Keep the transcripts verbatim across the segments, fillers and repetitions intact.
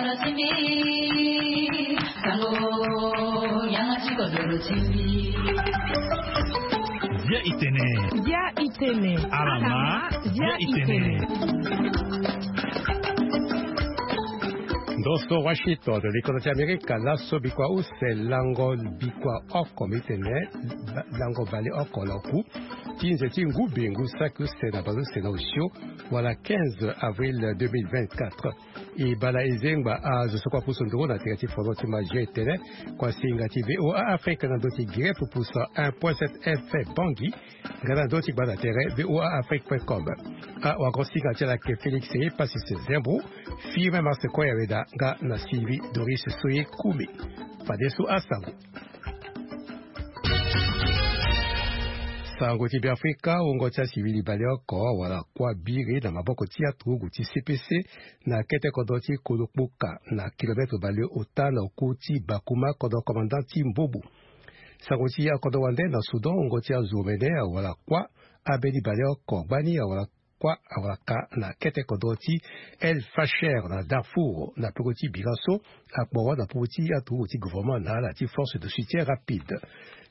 Bia itene. Bia itene. Alama. Bia itene. Ndo so Washington, likono ti Amerika, laso bikua use lango bikua oko, mbi tene, ba-, lango bale oko na oku ti nze ti ngu be ngu saki use na bale use na osio, wala quinze avril deux mille vingt-quatre. E bala e zengba azo so kua pusu nduru na tere ti fono ti magie tene, kua singa ti V O A Afrique na ndo ti Guinée pupusa un point sept F M Bangui, nga na ndo ti gbanda tere V O A Afrique point com. Awagosinga ti ala ayeke Félix Passis Zembro, Firmin Marsecoy Aweda nga na Sylvie Doris Soye Koumi. Fadeso asango. Sango ti Beafrika, wungo ti asivili baleoko wala kuâ biri na maboko ti aturugu ti C P C na kete kodro ti Kolokpoka na kilomètre baleota na oku ti Bakouma, kodro commandant ti Mbobo. Sango ti akodro wande na Soudan, wungo ti azo omene awala kuâ, ambeni baleoko gbani awala kuâ awaka na kete kodro ti El Fasher na Darfour, na peko ti bira so akporo na popo ti aturugu ti gouvernement na ala ti force de soutien rapide.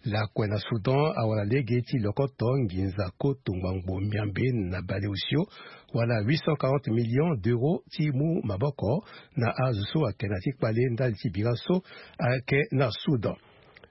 Lakue na Soudan awala lege ti lokoto nginza koto ngbangbo miambe na baleosio, wala huit cent quarante millions d'euros ti mu maboko na azo so ayeke na ya ti kpale ndali ti bira so ayeke na Soudan.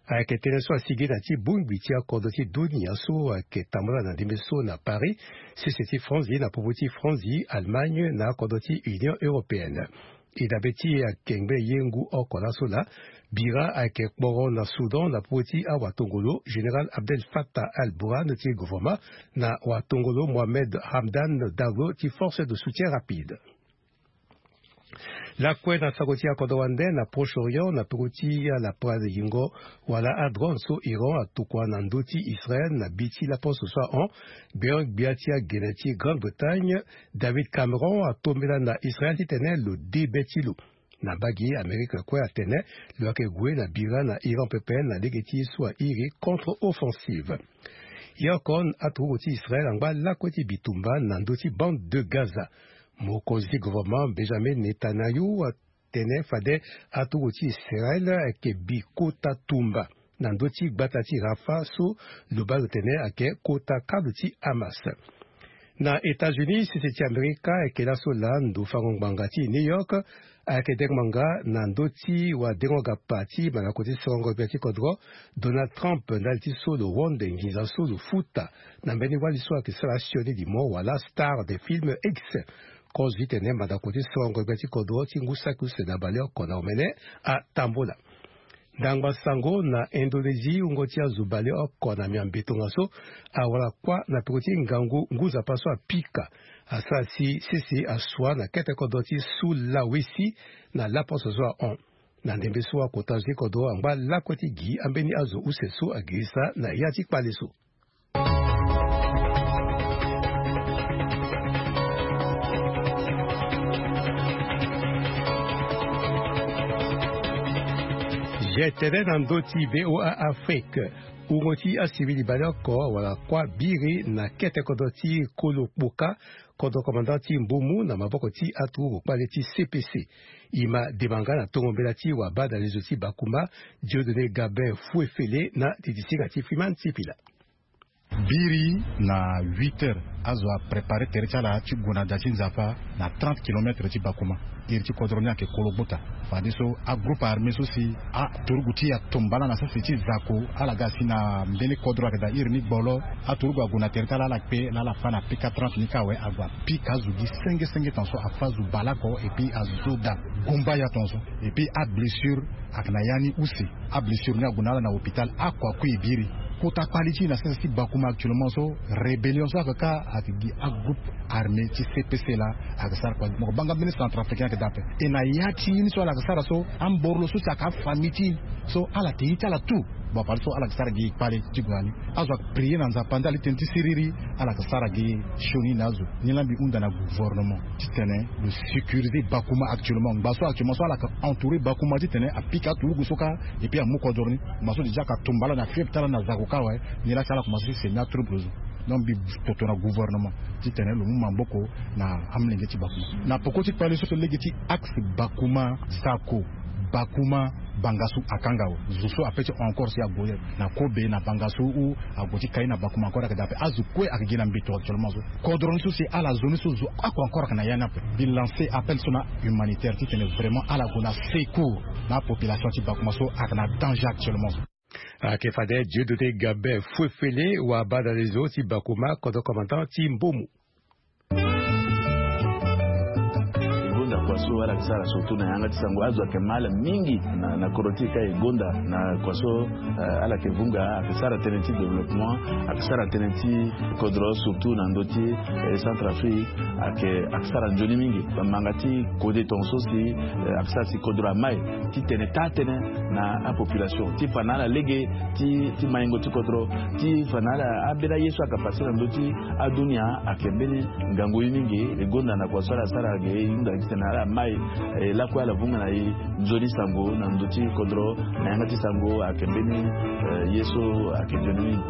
Ayeke tënë so asigi na ya ti bongbi ti akodro ti dunia so ayeke tambula na ndembe so na Paris, sese ti Franzi na popo ti Franzi, Allemagne na akodro ti Union européenne. E dabe ti e ayeke ngbe ye ngu oko laso laa, bira ayeke kporo na Soudan na popo ti awatongolo Général Abdel Fattah al-Burhan ti gouvernement na watongolo Mohamed Hamdan Daglo ti force de soutien rapide. Lakue na sango ti akodro wande na Proche-Orient, na peko ti ala prazeyingo wala adrone so Iran atokua na ndö ti Israël na bi ti laposo so ahon, gbeon-gbia ti agene ti Grande-Bretagne, David Cameron, atombela na Israël titene lo de be ti lo. Na mbage Amérique kue atene lo yeke gue na bira na Iran pepe na lege ti ye so airi contre-offensive. Ye oko aturugu ti Israël angba lakue ti bitumba na ndö ti bande de Gaza. Mokonzi ti gouvernement Benjamin Netanyahu atene fade aturugu ti Israël ayeke bi kota tumba na ndö ti gbata ti Rafah so lo baa lo tene ayeke kota kalo ti Hamas. Na États-Unis, sese ti Amerika ayeke laso laa ndo fango ngbanga ti New York ayeke dengo ngbanga na ndö ti wadengo gapa ti mandako ti sorongo gbia ti kodro Donald Trump ndali ti so lo wonde nginza so lo futa na mbeni wali so ayeke sara sionidi mo wala star de film X. Kozo ti tene mandako ti sorongo gbia ti kodro ti ngu saki use na baleoko na omene atambula. Ndangba sango na Indonésie, wungo ti azo baleoko na miambe tongaso awara kuâ na peko ti ngangu ngu nzapa so apika. Asara si sese asua na kete kodro ti Sulawesi na laposo so ahon. Na ndembe so akota zo ti kodro angba lakue ti gi ambeni azo use so agirisa na ya ti kpale so. Ge tene na ndö ti V O A Afrique, wungo ti asivili baleoko awara kuâ biri na kete kodro ti Kolo Kpoka, kodro komanda ti Mbumu na maboko ti aturugu kpale ti C P C. E ma dema nga na tongo mbela ti wabadalezo ti Bakuma, Dieudonné Gabin Fouefele na titisinga ti Freeman Sipila. Biri na huit heures, azo aprépare tere ti ala ti gue na da ti Nzapa na trente kilomètres ti Bakuma. Iri ti kodro ni ayeke Kolo Gbota. Fadeso agroupe armé so si aturugu ti e atomba ala na sese ti zako, ala ga si na mbeni kodro ayeke daa iri ni gbolo. Aturugu ague na tere ti ala, ala kpe laa ala fâ na P K trente ni kâ awe, ague apika azo gi senge senge tongaso, afâ azo baleoko, et puis azo so daa gumba ya tongaso. Et puis ablessure ayeke na ya ni use. Ablessure ni ague na ala na hôpital, ako akui e biri. Kota kpali ti e na sese ti Bakuma actuellement so, rébellion so ayeke kâ ayeke gi agroupe armé ti C P C laa ayeke sara kua. Mo yeke baa nga mbeni centrafricain ayeke daa ape. E na ya ti ye ni so ala yeke sara so, amborlo so si ayeke afamille ti e so ala yeke ye ti ala tout. Bon, fadeso ala yeke sara gi kpale ti gue na ni. Azo ayeke prier na Nzapa ndali ti tënë ti siriri, ala yeke sara gi sioni na azo. Ni laa mbi hunda na gouvernement titene lo sécuriser Bakuma actuellement. Ngba so actuellement so ala yeke entourer Bakuma titene apika aturugu so kâ, et puis amu kodro ni. Ngba so déjà ayeke tumba ala na fièvre ti ala na zako kâ awe. Ni laa si ala commencer ti semi atrouble zo. Donc mbi toto na gouvernement titene lo mu maboko na amolenge ti bakuma na poko ti kpale so so lege ti axe bakuma sako bakuma bangasu akanga awe. Zo so ape ti encore si ague na kobe na bangasu ou ague ti kai na bakuma encore ayeke daa ape azo kue ayeke gi na mbi to actuellement so. Kodro ni so si ala zo ni so zo ako encore ayeke na ya ni ape. Mbi lancer appel so na humanitaire titene vraiment ala gue na secours na apopulation ti bakuma so ayeke na danger actuellement so. Ayeke fade Dieudonné Gabin Fouefele wa bada lezo ti bakuma kodro commandant ti Mbomo. E gonda kua so ala yeke sara surtout na yanga ti sango azo ayeke mal mingi na kodro ti e ka e gonda na kua so ala yeke vunga ayeke sara tënë ti développement ayeke sara tënë ti kodro surtout na ndö ti Centrafrique. Ayeke ayeke sara nzoni mingi bamanga ti kode tonga so si ayeke sara si kodro amai ti tene taa tënë na apopulation ti fa na ala lege ti maingo ti kodro ti fa na ala ambeni aye so ayeke pase na ndö ti adunia. Ayeke mbeni ngangu ye mingi e gonda na kua so ala sara ge e hunda gi tene ala mai e lakue ala vunga na e nzoni sango na ndö ti kodro na yanga ti sango ayeke mbeni ye so ayeke nzoni mingi.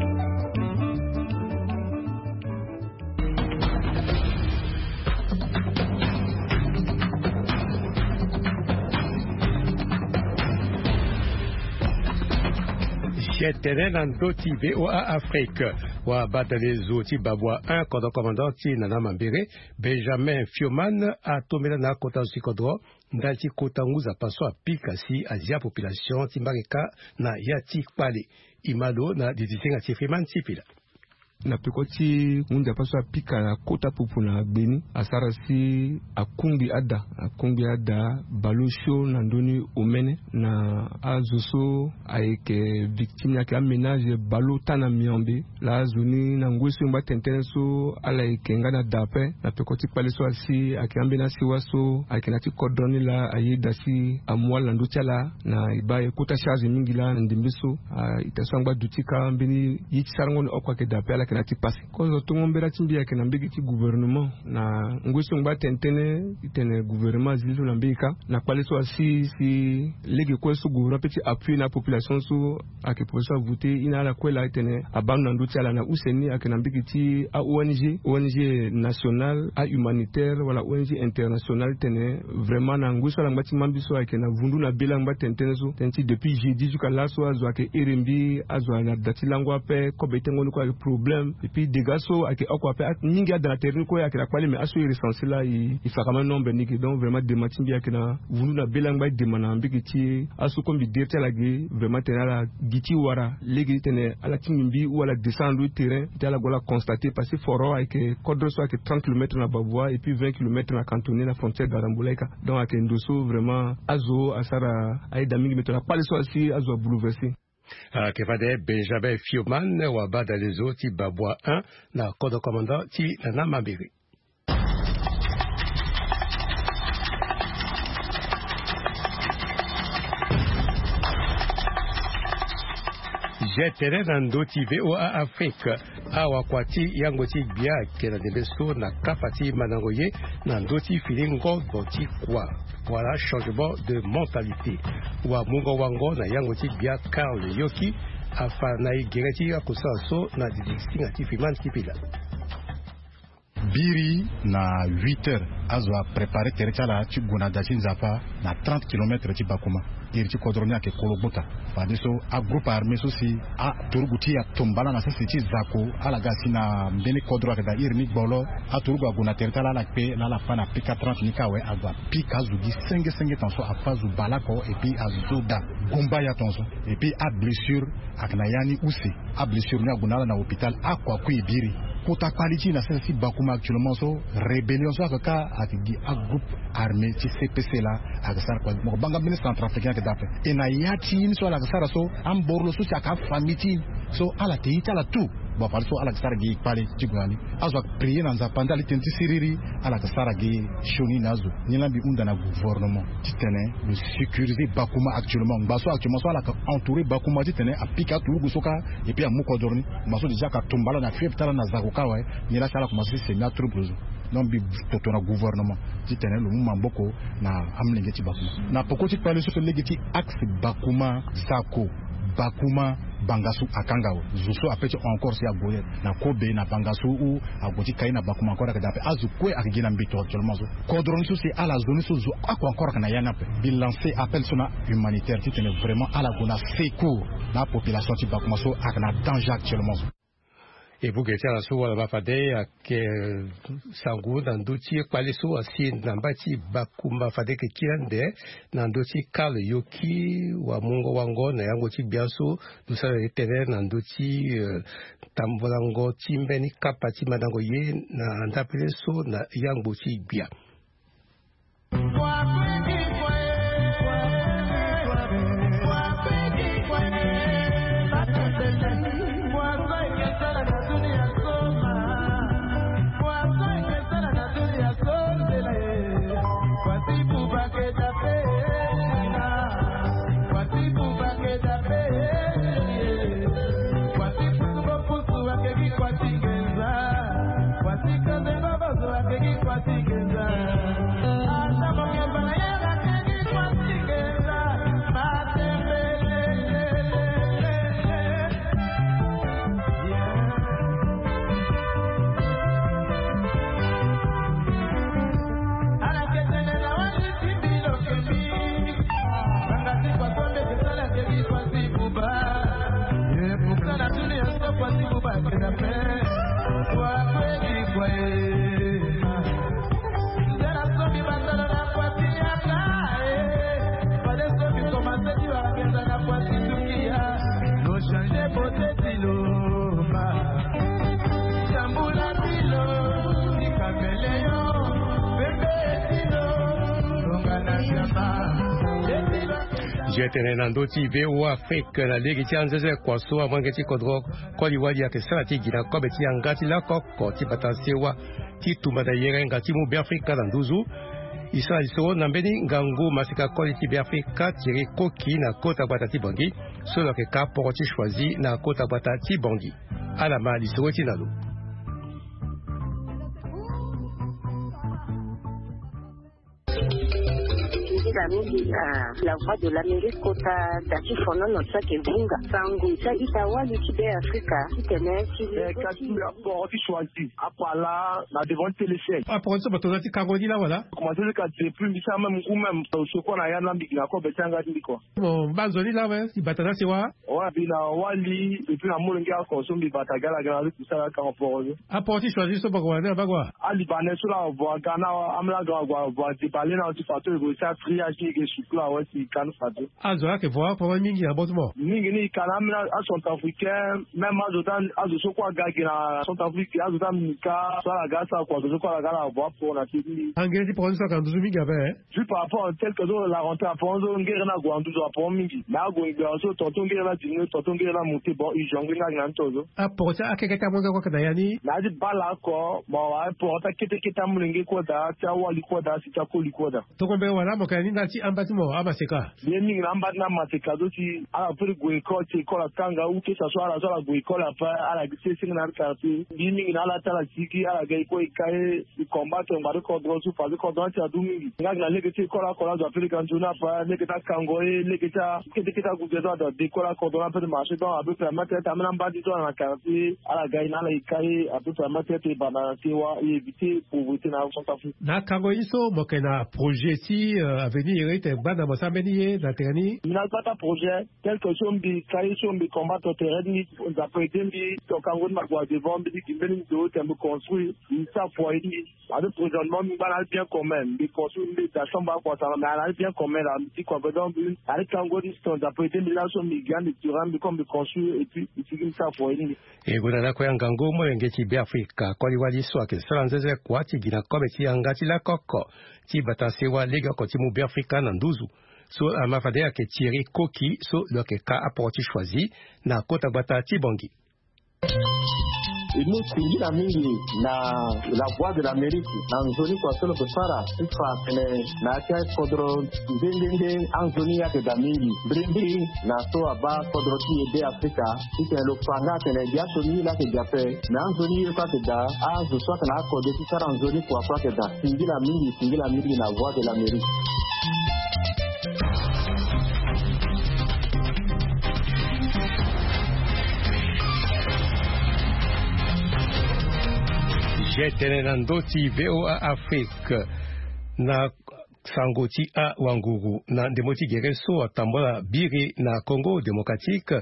Gtene na ndö ti voa afrique wa badale zo ti babua un kodro commandant ti nana mambere benjamin fioman atombela na akota zo ti kodro ndali ti kota ngu nzapa so apika si azia population ti mbage kâ na ya ti kpale. Imalo na didisinga ti fioman ti pila. Na peko ti ngu nzapa so apika na kota pupu na gbeni asara si akungbi ada akungbi ada baleosio na ndö ni omene na azo so ayeke victime ni ayeke aménage baleota na miambe. Laa azo ni na ngoi so e ngba tene tënë so ala yeke nga na da ape na peko ti kpale so asi ayeke ambeni asiwa so ayeke na ya ti kodro ni laa ayeda si amu ala na ndö ti ala na e baa e kota charge mingi laa na ndembe so. Ita so angba duti kâ mbeni ye ti sarango ni oko ayeke daa ape ala yeke na ya ti pase. Kozo tongo mbela ti mbi ayeke na mbege ti gouvernement na ngoi so e ngba tene tënë ti tene gouvernement azi ni so na mbege kâ na kpale so asi si lege kue so gouvernement ape ti appuyer na apopulation so ayeke population avote ye na ala kue laa e tene abaa ndo na ndö ti ala na use ni ayeke na mbege ti a-ong ong nationale a-humanitaire wala ong internationale ti tene vraiment na ngoi so ala ngba ti mambi so ayeke na vundu na be laa angba tene tënë so tënë ti depuis jeudi jusqu'à laso azo ayeke here mbi azo ayeke na da ti lango ape kobe tengo ni kue ayeke problème. Epui dega so ayeke oko ape mingi ada na tere ni kue ayeke na kpale mais aso e recense laa e fakama nombre ni ge donc vraiment dema ti mbi ayeke na vundu na be laa angba e dema na mbege ti aso kue mbi dere ti ala ge vraiment tene ala gi ti wara lege ti tene ala tingbi mbi ou ala descend na ndo ti terrain ti ala gue ala constate parce que foro ayeke kodro so ayeke trente kilomètres na babua epui vingt kilomètres na cantonnier na frontière garambula ika. Donc ayeke ndo so vraiment azo asara ayeda mingi mais tongana kpale so asi azo abouleverse. Ayeke fade benjamin fioman wa badale zo ti babua un na kodro commandant ti nana mambere. Gtene na ndö ti voa afrique. Awakua ti yango ti gbia ayeke na ndembe so na kapa ti mandango ye na ndö ti fini ngongo ti kua wala changement de mentalité. Wa mungo wango na yango ti gbia karl yoki afa na e gere ti akosala so na didisinga ti fimane ti pila. Biri na huit heures azo aprépare tere ti ala ti gue na da ti nzapa na trente kilomètres ti bakuma. Iri ti kodro ni ayeke kolo gbota. Fadeso agroupe armé so si aturugu ti atombala na sese ti zako ala ga si na mbeni kodro ayeke daa iri ni gbolo. Aturugu ague na tere ti ala ala kpe laa ala fa na pika trente ni kâ awe ague apika azo gi senge senge tonga so afa azo baleoko epui azo daa. Gumba ya tonga so epui ablessure ayeke na ya ni use. Ablessure ni ague na ala na hôpital akua kue e biri. Kota kpali ti e na sese ti bakuma actuellement so rébellion so ayeke kâ ayeke gi agroupe armé ti cpc laa. Ayeke sara kua mo banga mbeni centrafricain ayeke daa ape. E na ya ti ye ni so ala yeke sara so amboro lo so si ayeke afamille ti e so ala yeke ye ti ala tout. Bon fadeso ala yeke sara gi kpale ti gue na ni. Azo ayeke prier na nzapa ndali tënë ti siriri. Ala yeke sara gi sioni na azo. Ni laa mbi hunda na gouvernement titene lo sécuriser bakuma actuellement ngba so actuellement so ala yeke entourer bakuma titene apika aturugu so kâ. Epui amu kodro ni ngba so déjà ayeke atombala na fiève ti ala na zako kâ awe. Ni laa si ala komanse ti semi atrouble zo. Donc mbi toto na gouvernement titene lo mu maboko na amolenge ti bakuma na poko ti kpale so so lege ti axe bakuma zako bakuma Pangasu akanga awe zo so ape ti encore si ague na kobe na pangasu ou ague ti kai na bakuma encore ayeke daa ape azo kue ayeke gi na mbito actuellement so. Kodro ni so si ala zo ni so zo ako encore ayeke na ya ni ape. Mbi lance appel so na humanitaire titene vraiment ala gue na secours na apopulation ti bakuma so ayeke na danger actuellement so. E buke ti ala so wala ma fade ayeke sango na ndö ti kpale so asi na mbai ti bakumba fade yeke kiri ande na ndö ti kale yoki wamungo wango na yango ti gbia so lo sara ye tene na ndö ti tambolango ti mbeni kapa ti mandango ye na ndapele so na yangbo ti gbia. Zo tene na ndö ti V O A Afrique na lege ti anzeze kua so amolenge ti kodro koli wali ayeke sara ti gi na kobe ti yanga ti lakoko ti bata sewa ti tumba na yenga yenga ti mu Beafrika na nduzu. E sara lisoro na mbeni ngangu maseka koli ti Beafrika Thierry Koki na kota gbata ti Bangui so lo yeke ka poro ti choisi na kota gbata ti Bangui. Ala ma lisoro ti na lo. Nzila mingi na La Voix de l'Amérique kota da ti fonono so ayeke vunga sango ti a-ita wali ti Beafrika titene ti Eh, kasi aporo ti choisi apala na devant ti téléchaîne. Aporo ti so bato za ti kango ni la wala? Commencé ti ka depuis mbi sara même ngu même so kua na ya na mbi gi na kobe ti yanga ti mbi kua. Mo mba nzoni la awe si bata na sewa? Ouais, mbi na wali et puis na molenge oko so mbi bata gi ala gi na ala ti kusala akango poro so. Aporo ti choisi so bako wala ni abaa kua? Alibanais so la avo aga na amolenge oko avo adebale na ti fato e gue ti atriage ni e ke sukula awe si e ka ni fato. Azo ayeke vo aporo mingi na bot mo? Mingi ni e ka na amina acentrafricain même azo ti azo so kue aga gi na centrafrique azo ti amika so ala ga asara kua azo so kue ala ga ala avo aporo na se ti mbi. Angere ti poro ni so ayeke na nduzu mingi ape? Juste par rapport tel que so la rentrée aporo so ngere ni ague na nduzu aporo mingi mais ague ngbia so tonton ngere ni adiminué tonton ngere ni amonté bon urgent ngbenge ayeke na ni to so. Aporo ti akeke ti amolenge kue ayeke na ya ni? Na ya ti bala oko bon aporo ti akete kete amolenge kue daa ti awali kue daa si ti akoli kue daa. Tongombe wala mo yeke na ni ndali ti amba ti mo amaseka? Ye mingi na amba ti na amaseka so si ala firi gue école ti école akanga ou que ça soit ala so ala gue école après ala gi ti senge na ya ti quartier. Mbi mingi na ala ti ala sigi ala ga e kue e ka ye. E combattre ngbari kodro so parce que kodro ni ti adu mingi nga gi na lege ti école oko la azo ape lege anzoni ape lege ti akango ye lege ti akete kete aguge so azo ade école akodro ni ape ti marché donc ape permettre ti ambeni amba ti so ala na quartier ala ga e na ala e ka ye ape permettre ti e banda na sewa e éviter pauvreté na centrafrique. Na akango ye so mo yeke na projet ti avenir ye ti tene gbanda mo sara mbeni ye na tere ni? Mbi na gbata projet tel que so mbi ka ye so mbi combattre tere ti mbi. Nzapa aide mbi to kango ti mbi ague na devant mbi ti gi mbeni ndo tene mbi construire mbi sara foyer ti mbi. Ade présentement mbi ngba na ali bien commun mbi construire mbi da chambre akua sara mais ala ali bien commun la mbi ti kua pe donc mbi na ali kango ti sto nzapa aide mbi laso mbi gi ande terrain mbi comme mbi construire et puis mbi sigi mbi sara foyer ti mbi. E gue na lakue ya ngangu molenge ti beafrika koli wali so ayeke sara nzenze kua ti gi na kobe ti yanga ti lakoko ti bata sewa legeoko ti mu beafrika na nduzu. So ama fade ayeke thierry koki so lo yeke ka aporo ti choisi na kota gbata ti bongi. E mu singila mingi na la voix de l'amérique na nzoni kua so lo yeke sara ti fa atene na ya ti akodro nde nde nde anzoni ye ayeke daa mingi mbrimbri na so abaa kodro ti e be afrika titene lo fa nga atene gi aso ni ye laa ayeke gi ape. Me anzoni ye so ayeke daa azo so ayeke na akode ti sara nzoni kua so ayeke daa. Singila mingi singila mingi na voix de l'amérique. Ye tene na ndo ti VOA Afrique, na sango ti awanguru na ndembo ti gere so atambola biri na Congo Démocratique,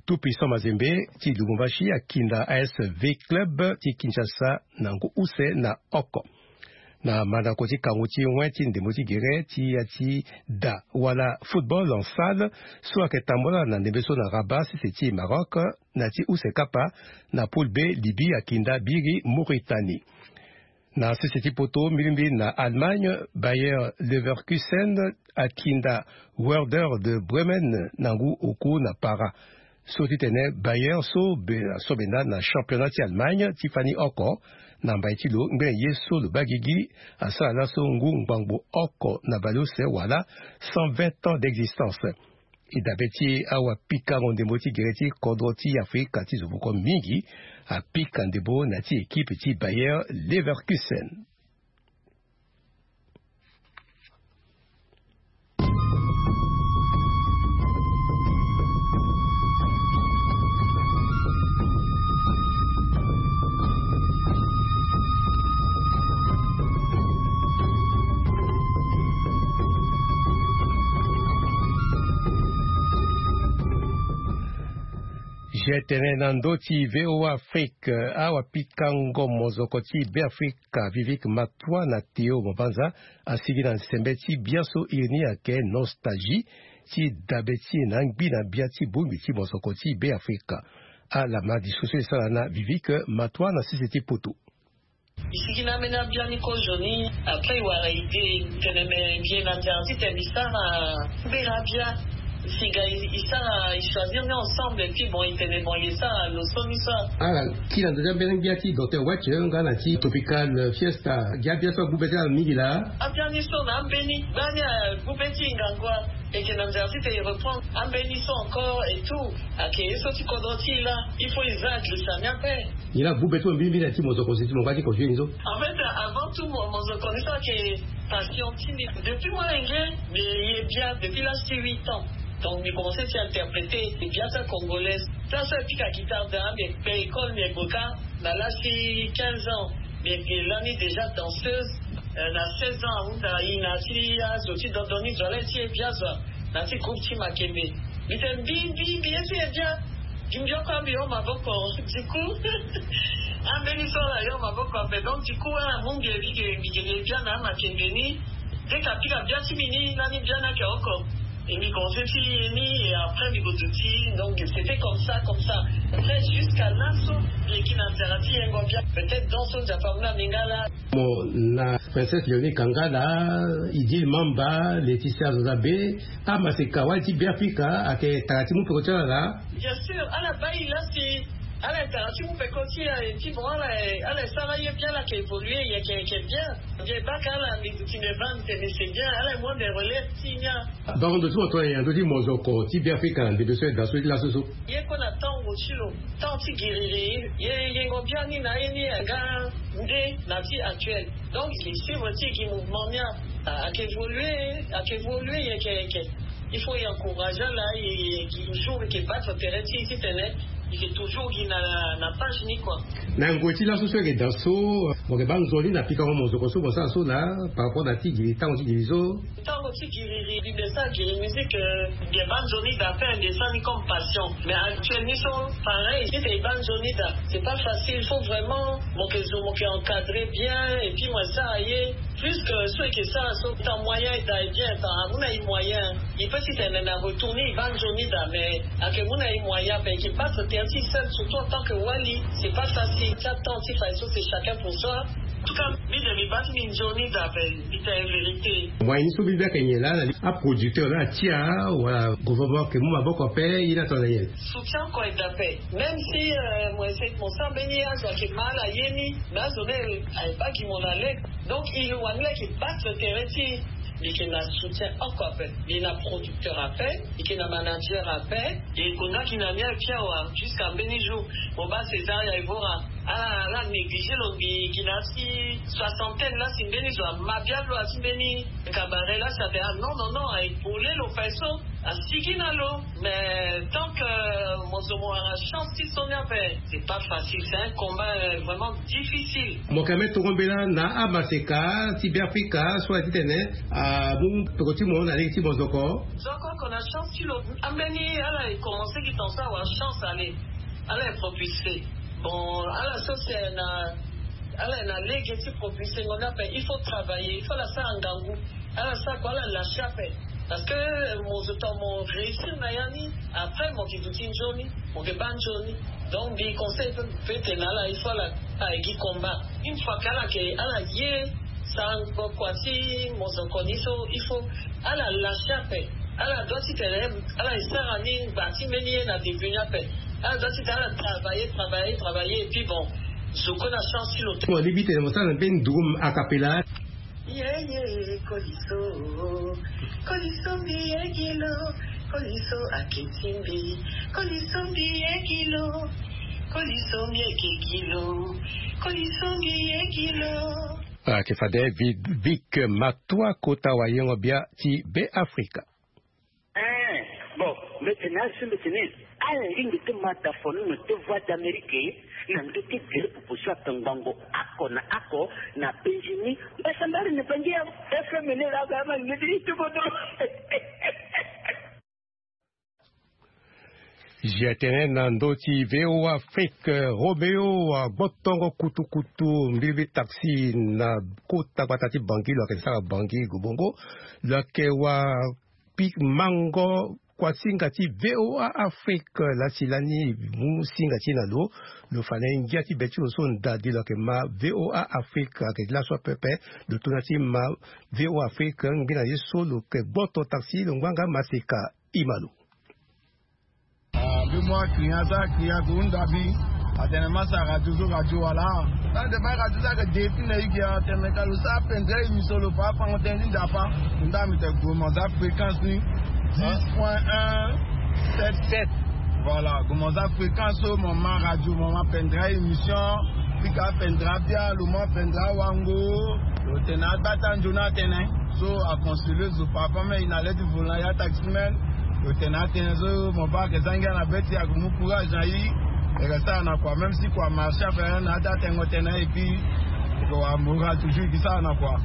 Tout Puissant Mazembe ti Lubumbashi akinda A S V Club ti Kinshasa na ngu use na oko. Na mandako ti kangu ti wen ti ndembo ti gere ti ya ti da wala football en salle so ayeke tambola na ndembe so na Rabat, sese ti Maroc, na ti use kapa na poule B, Libye akinda biri Mauritanie. Na sese ti poto, mbilimbili na Allemagne, Bayer Leverkusen akinda Werder de Bremen na ngu oku na para. So ti tene Bayer so be so benda na championnat ti Allemagne ti fani oko na mbai ti lo ngbene ye so lo baa gigi, asara laso ngu ngbangbo oko na bale use wala cent vingt ans d'existence. E dabe ti awapikango ndembo ti gere ti kodro ti Afrika ti zo moko mingi apika ndembo na ti équipe ti Bayer Leverkusen. Je tene na ndo ti VOA Afrique, awapikango mozoko ti Beafrika Vivek Matwa na Théo Mobanza asigi na nsembe ti biaso iri ni ayeke nostalgie ti dabe ti e na angbi na bia ti bongbi ti mozoko ti Beafrika. Ala ma discussion e sara na Vivek Matwa na sese ti poto. E sigi na ambeni abia ni kozo ni. Après e wara idée, e tene me mbi ye na nzara titene mbi sara mbela abia. Singa e sara, e choisir ni ensemble, et puis bon, e tene bon, e sara lo so ni so. Ala kiri na ndo ti ambeni gbia ti docteur Watt nga na ti Tropical Fiesta. Gi abia so agbu be ti ala mingi laa. Abia ni so na ambeni gbani agbu be ti ngangu. E yeke na nzara titene e reprendre ambeni so encore et tout. Ayeke ye so ti kodro ti e laa. Il faut e za agrisa ni ape. Nyen la agbu be ti mo mingi mingi na ti mozoko si ti mo nga ti ko joue ni so? En fait, avant tout, mo- mozoko ni so ayeke passion ti mbi. Depuis molenge mbi ye bia depuis l'âge ti huit ans. Donc mbi commencé ti interpréter bia ti acongolais. Place so e pika guitare daa, mbi kpe école, mbi gboka na l'âge ti quinze ans. Mbi lani déjà danseuse. Euh, na seize ans ahunda e na ti azo ti dondo ni zo ala ye ti ye bia zo. Na ti groupe ti Makembe. Mbi tene mbi mbi mbi ye ti ye bia. Mbi mbi oko ambi yo maboko. Du coup, ambeni so ala yo maboko ape. Donc du coup ala mu mbi e bige mbi gege bia na Makembe ni. Dès que apika bia ti mbi ni, lani bia ni ayeke oko. Et mbi commencé ti ye ni, et après mbi ko duti. Donc c'était comme ça, comme ça. Après, jusqu'à laso mbi yeke na nzara ti yengo bia. Peut-être donc so Nzapa amu na mbi nga laa. Mo na Princesse Léonie Kangala, Idil Mamba, Laetitia Zozabe, amaseka wali ti Beafrika ayeke tara ti mu peko ti ala laa. Bien sûr, ala baa e laa si ala ye tara ti mu peko ti e, ti bon, ala ye, ala ye sara ye bien, ala yeke évoluer, e yeke, e yeke bien. Mbi ye baka ala, mbi duti mbi ye baa mbi tene c'est bien, ala ye mu ande relève ti e ni. Bango ndo ti mo tongana nyen na ndö ti mozoko ti Beafrika na ndembe so e daa so ti laso so? Ye kue na tango ti lo, temps ti giriri, ye yengo biani na ye ni aga nde na ti actuel. Donc e suivre ti e gi mouvement ni a, ayeke évoluer, ayeke évoluer, yeke yeke. Il faut e encourager ala, e, e toujours e yeke battre tere ti e titene e yeke toujours gi na, na page ni kua. Na ngoi ti laso so e yeke daa so, mo yeke baa nzoni na pikango mozoko so mo sara so laa, par rapport na ti giri, tango ti giri so? Tango ti giriri, mbi mbi sara giri musique, euh, mbi baa nzoni daa ape, mbi sara ni comme passion. Mais actuel ni so, pareil, si mbi baa nzoni daa, c'est pas facile, faut vraiment mo yeke zo, mo yeke encadrer bien, et puis mo sara ye. Plus que so e yeke sara so, tant moyen e daa e bien, tant amu na e moyen. E peut titene na retour ni e baa nzoni daa, mais ayeke mu na e moyen ape, e yeke battre tere ti e seul, surtout en tant que wali, c'est pas facile. Ti atemps ti fa so c'est chacun pour soi. En tout cas mbi de mbi baa ti mbi nzoni daa ape, mbi tene vérité. Moyen ni so mbi baa ayeke nyen laa na li aproducteur laa atia wala gouvernement ayeke mu maboko ape, ye ni atongana nyen? Soutien kue daa ape. Même si, euh, mo essaie, mo sara mbeni azo ayeke ma ala ye ni, mais azo ni aye baa gi mo na lege. Donc e lo wani laa e yeke battre tere ti e. Mbi yeke na soutien oko ape. Mbi na producteur ape, mbi yeke na manager ape. E konda gi na ni aye pia awa, jusqu'à mbeni jour mo baa César ya Evora. Ala ala négligé lo mbi gi na asi soixantaine la si mbeni zo ama bia lo asi mbeni cabaret la si ape ah non non non aye pole lo fa ye so. Asigi na lo mais tant que mo zo mo wara chance ti so ni ape. C'est pas facile, c'est un combat vraiment difficile. Mo yeke me toro mbela na amaseka ti beafrika so aye titene amu toro ti mo na lege ti mo zo oko. Zo oko oko na chance ti lo. Ambeni ala e commencé gi tonga so awara chance ale. Ala e propulsé. Bon ala so si aye na ala e na lege ti propulsé ngo ni ape il faut travailler il faut ala sara ngangu. Ala sara kua ala lâché ape. Parce que mo zo tonga mo réussir na ya ni. Après mo yeke duti nzoni mo yeke baa nzoni. Donc mbi conseil pe mbi pe tene na ala il faut ala aye gi combat. Une fois ke ala yeke ala ye sara ngo kua ti mo zo oko ni so il faut ala lâché ape. Ala doit titene ala e sara ni ngba ti mbeni ye na début ni ape. Ala doit titene ala travailler travailler travailler et puis bon zo kue na chance ti lo te. Mo libi tene mo sara na mbeni durum akapela. Yeye koliso koliso mbi yegilo. Koliso aketi mbi. Koliso mbi yegilo. Koliso mbi ekegilo. Koliso mbi yegilo. Ake fade vik matua kota wayengo bia ti be afrika. Eh, bon, mete na asu mete ni. Ala lingi ti mata fono no te voix d'amérique na ndo ti gere pupusu ape ngbongo ako na ako na benjini. Mbasambari ni bangi ya fm ni la ga ma ngedi ti bodo. Jetene na ndo ti voa afrique romeo agbotongo kutukutu mbilibi taxi na kota gbata ti bangi lo ayeke sara bangi gobongo. Lo ayeke wa pi mango kua singa ti voa afrique lasi lani mu singa ti na lo. Lo fa na ye ngia ti be ti lo so ndadi lo yeke ma voa afrique ayeke laso apepe. Lo tuna ti ma voa afrique ngbina ye so lo yeke gboto taxi lo ngbanga maseka. Ima lo. Ah, mbi mu akria so akria ko hunda mbi. Atene ma sara radio so radio wala. Sa de ba radio so ayeke de ti na igi atene ka lo sara pendere émission lo fa afango tënë ti nzapa. Nda mbi tene gue mo za fréquence ni dix point un sept sept. Voilà, gue mo za fréquence so mo ma radio mo ma pendere émission. Pika apendere abia lo mu apendere awango. Lo tene agba ti anzoni atene so aconseiller zo papa me e na le ti volant ya taximen. Lo tene atene so mo baa ayeke za ngia na be ti e ayeke mu courage na e. E yeke sara na kua même si kua marché ape na ya ti atengo tënë et puis e yeke wara moral toujours e yeke sara na kua.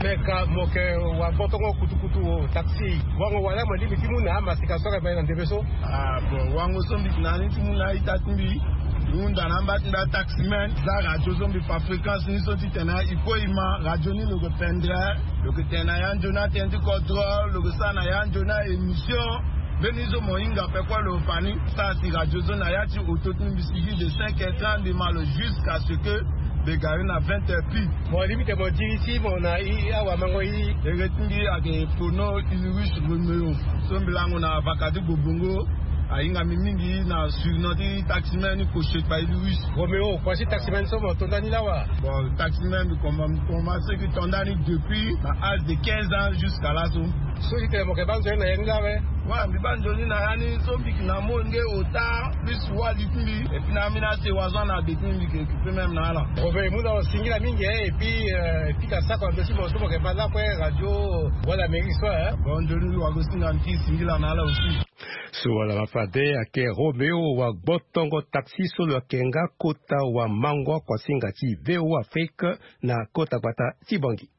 Me ka mo yeke wa gbotongo kutukutu taxi wango wala mo lingbi ti mu na amasika so ayeke mbeni na ndembe so. Ah bon wango so mbi yeke na ni ti mu na a-ita ti mbi. Mbi hunda na amba ti mbi ataximen za radio so mbi fa fréquence ni so titene e kue e ma radio ni lo yeke pendere. Lo yeke tene na ya nzoni atënë ti kodro lo yeke sara na ya nzoni a-émission. Mbeni so mo hinga ape kue lo fa ni. Sara si radio so na ya ti oto ti mbi sigi de cinq heures trente mbi ma lo jusqu'à ce que mbi gari na vingt heures pile. Mo limite mo diri ti mo na i awamango i. Ere ti mbi ayeke Pono Ulrich Romeo so mbi lango na vaka ti Gobongo. Ahinga mbi mingi na surnom ti taximen ni Koshekpa Ulrich. Romeo kua ti taximen so mo to ndani lawa? Bon taximen mbi commence ki to ndani depuis na âge de quinze ans jusqu'à laso. So ti tene mo yeke baa nzoni na ya ni lawe? Wala mbi baa nzoni na ya ni so mbi yeke na molenge ota plus wali ti mbi. Epui na ambeni asewa so ana be ti mbi mbi yeke occupé même na ala. Obe e mu na lo singila mingi e epui e pika sako na ndo ti mo so mo yeke ma lakue radio voie d'amérique so e. Bon nzoni mbi wara ko singa mbi ti singila na ala aussi. So wala ma fade ayeke Romeo wa gbotongo taxi so lo yeke nga kota wa mango akuasinga ti voa afrique na kota gbata ti bangi.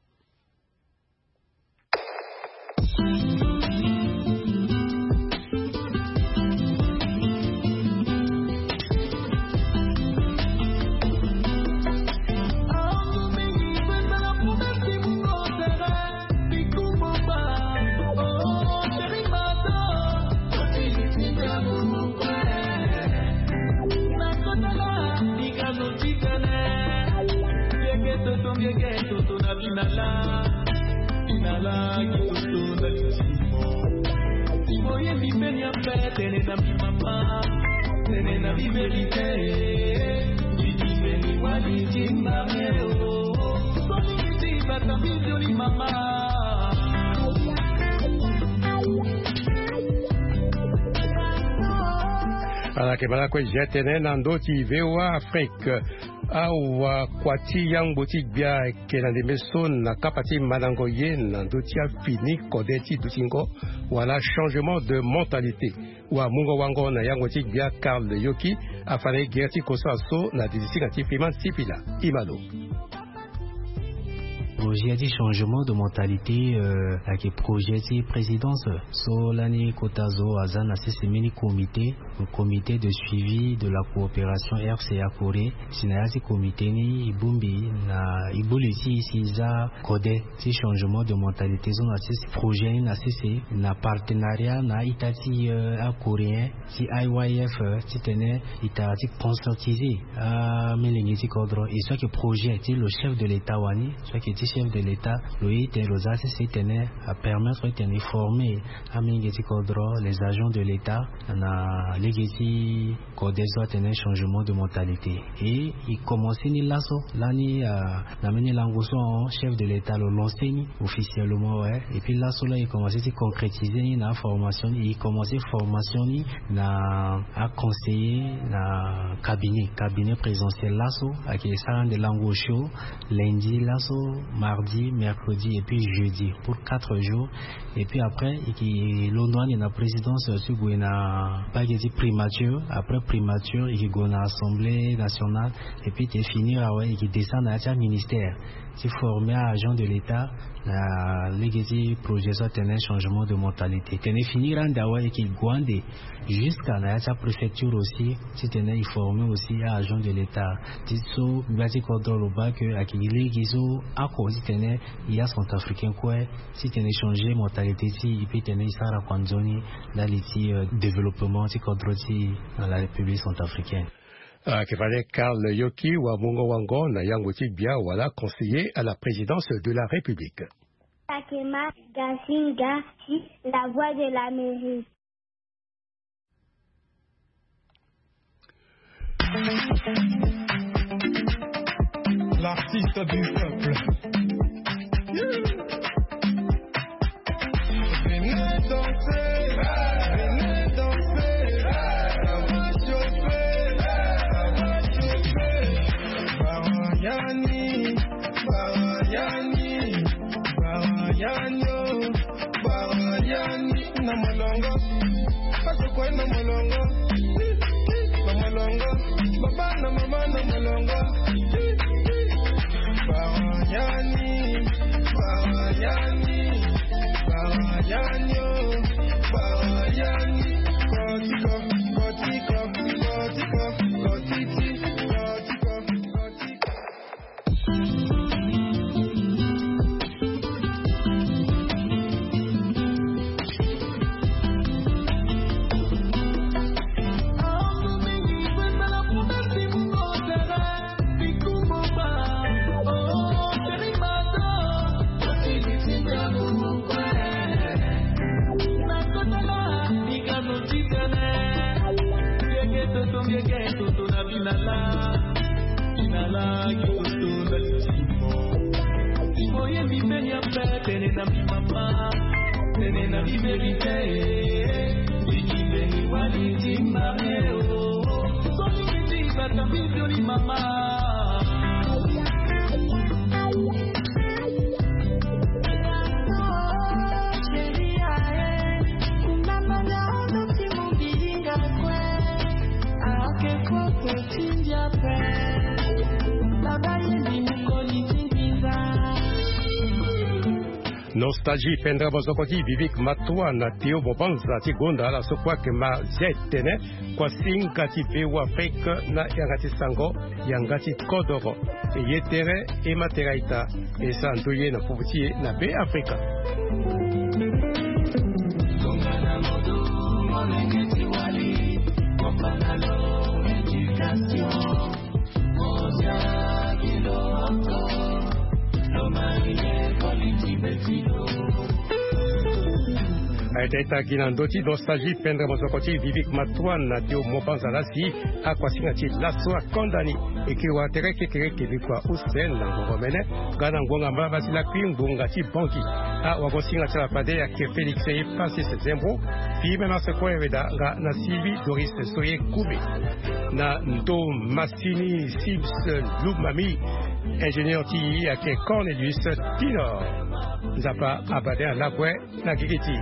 Toto na binala binala kitoto na litimo. Timoye mipeni ape tene na mimama tene na biverite. Bidimeni wali timbameo. Solikiti bata bidioli mama. Ala ke bala kue jetene na ndo ti voa afrique. Awa kua ti yangbo ti gbia ayeke na ndembe so na kapa ti mandango ye na ndö ti afini kode ti dutingo wala changement de mentalité. Wamungo-wango na yangbo ti gbia Karl Yoki afa na e gere ti kosa so na didi ti nga ti Fiman Sipila. Imalo. Projet ti changement de mentalité ayeke projet ti présidence so lani kota zo aza na sese mbeni comité, comité de suivi de la coopération R C A Corée. Si na ya ti comité ni e bongbi na e boli ti e si e za kode ti changement de mentalité so na sese projet ni na sese na partenariat na a-ita ti acoréen ti I Y F titene e tara ti conscientiser amolenge ti kodro. E so ayeke projet ti lo chef de l'état wani, so ayeke ti chef de l'état lo ye titene lo za sese titene apermettre titene e former amolenge ti kodro, les agents de l'état, na lege ti kode so atene changement de mentalité. E e commencer ni laso lani na mbeni lango so chef de l'état lo lancer ni officiellement, ouais. Et puis laso la e commencer ti concrétiser ni na formation ni, e commencer formation ni na aconseiller na cabinet, cabinet présidentiel laso ayeke sara ande lango osio lundi laso, mardi, mercredi et puis jeudi pour quatre jours. Et puis après e ke londo ande na présidence ti gue na mbage ti primature, après primature e ke gue na assemblée nationale. Et puis te finir awe e ke descendre na ya ti aministère ti former agent de l'état na lege ti projet so atene changement de mentalité. Tene finir ande awe e ke gue ande jusqu'à na ya ti apréfecture aussi titene e former aussi agent de l'état. Ti so gbia ti kodro lo baa ke ayeke lege so ako titene e acentrafricain kue titene e changer mentalité ti e, e peut tene e sara kua nzoni ndali ti développement ti kodro ti e na la République centrafricaine. Ayeke fade Karl Yoki wamungo-wango na yangbo ti gbia wala conseiller à la présidence de la République. Takema Gasinga ti La Voix de l'Amérique. L'artiste du peuple. Venez danser, venez danser, ça va chauffer, ça va chauffer. Barayani, Barayani, Barayani, oh, Barayani, na molongo. Azo kue na molongo, na molongo, baba na mama na molongo. Barayani, Barayani, Barayani, oh, Barayani. Kotiko, kotiko, kotiko, kotiti, kotiko, kotiko. Toto na binala, binala kitoto na litimo. Timo ye mibeni ape tene na mimama, tene na miverite. Ikibeni wali ti mame o. Soni kiti bata bibioni mama. Nostalgie pendra bozoko ti Vivik Matoua na Théo Bobanza ti gonda ala so kue ayeke ma zia etene. Kua singa ti Beafrika na yanga ti sango, yanga ti kodoro. E ye tere, e ma tere a-ita, e sara ndoye na popo ti e na Beafrika. Aye ta ita gi na ndö ti nostalgie pendre mosoko ti Vivik Matoine na tio mobanza lasi. Akuasinga ti laso akonda ni. Eke wa tere kekereke vikua use na ngongo mene. Nga na ngonga mbala basi lakui ngbonga ti banki. Awagosinga ti ala fade ake Félix ye Francis Zembo. Fi me na sekue weda nga na sivi Doris Soye Koume. Na ndo masini Sims Lumami. Ingénieur ti ake Cornelius Tinor. Nzapa abade na lakue na gigi ti.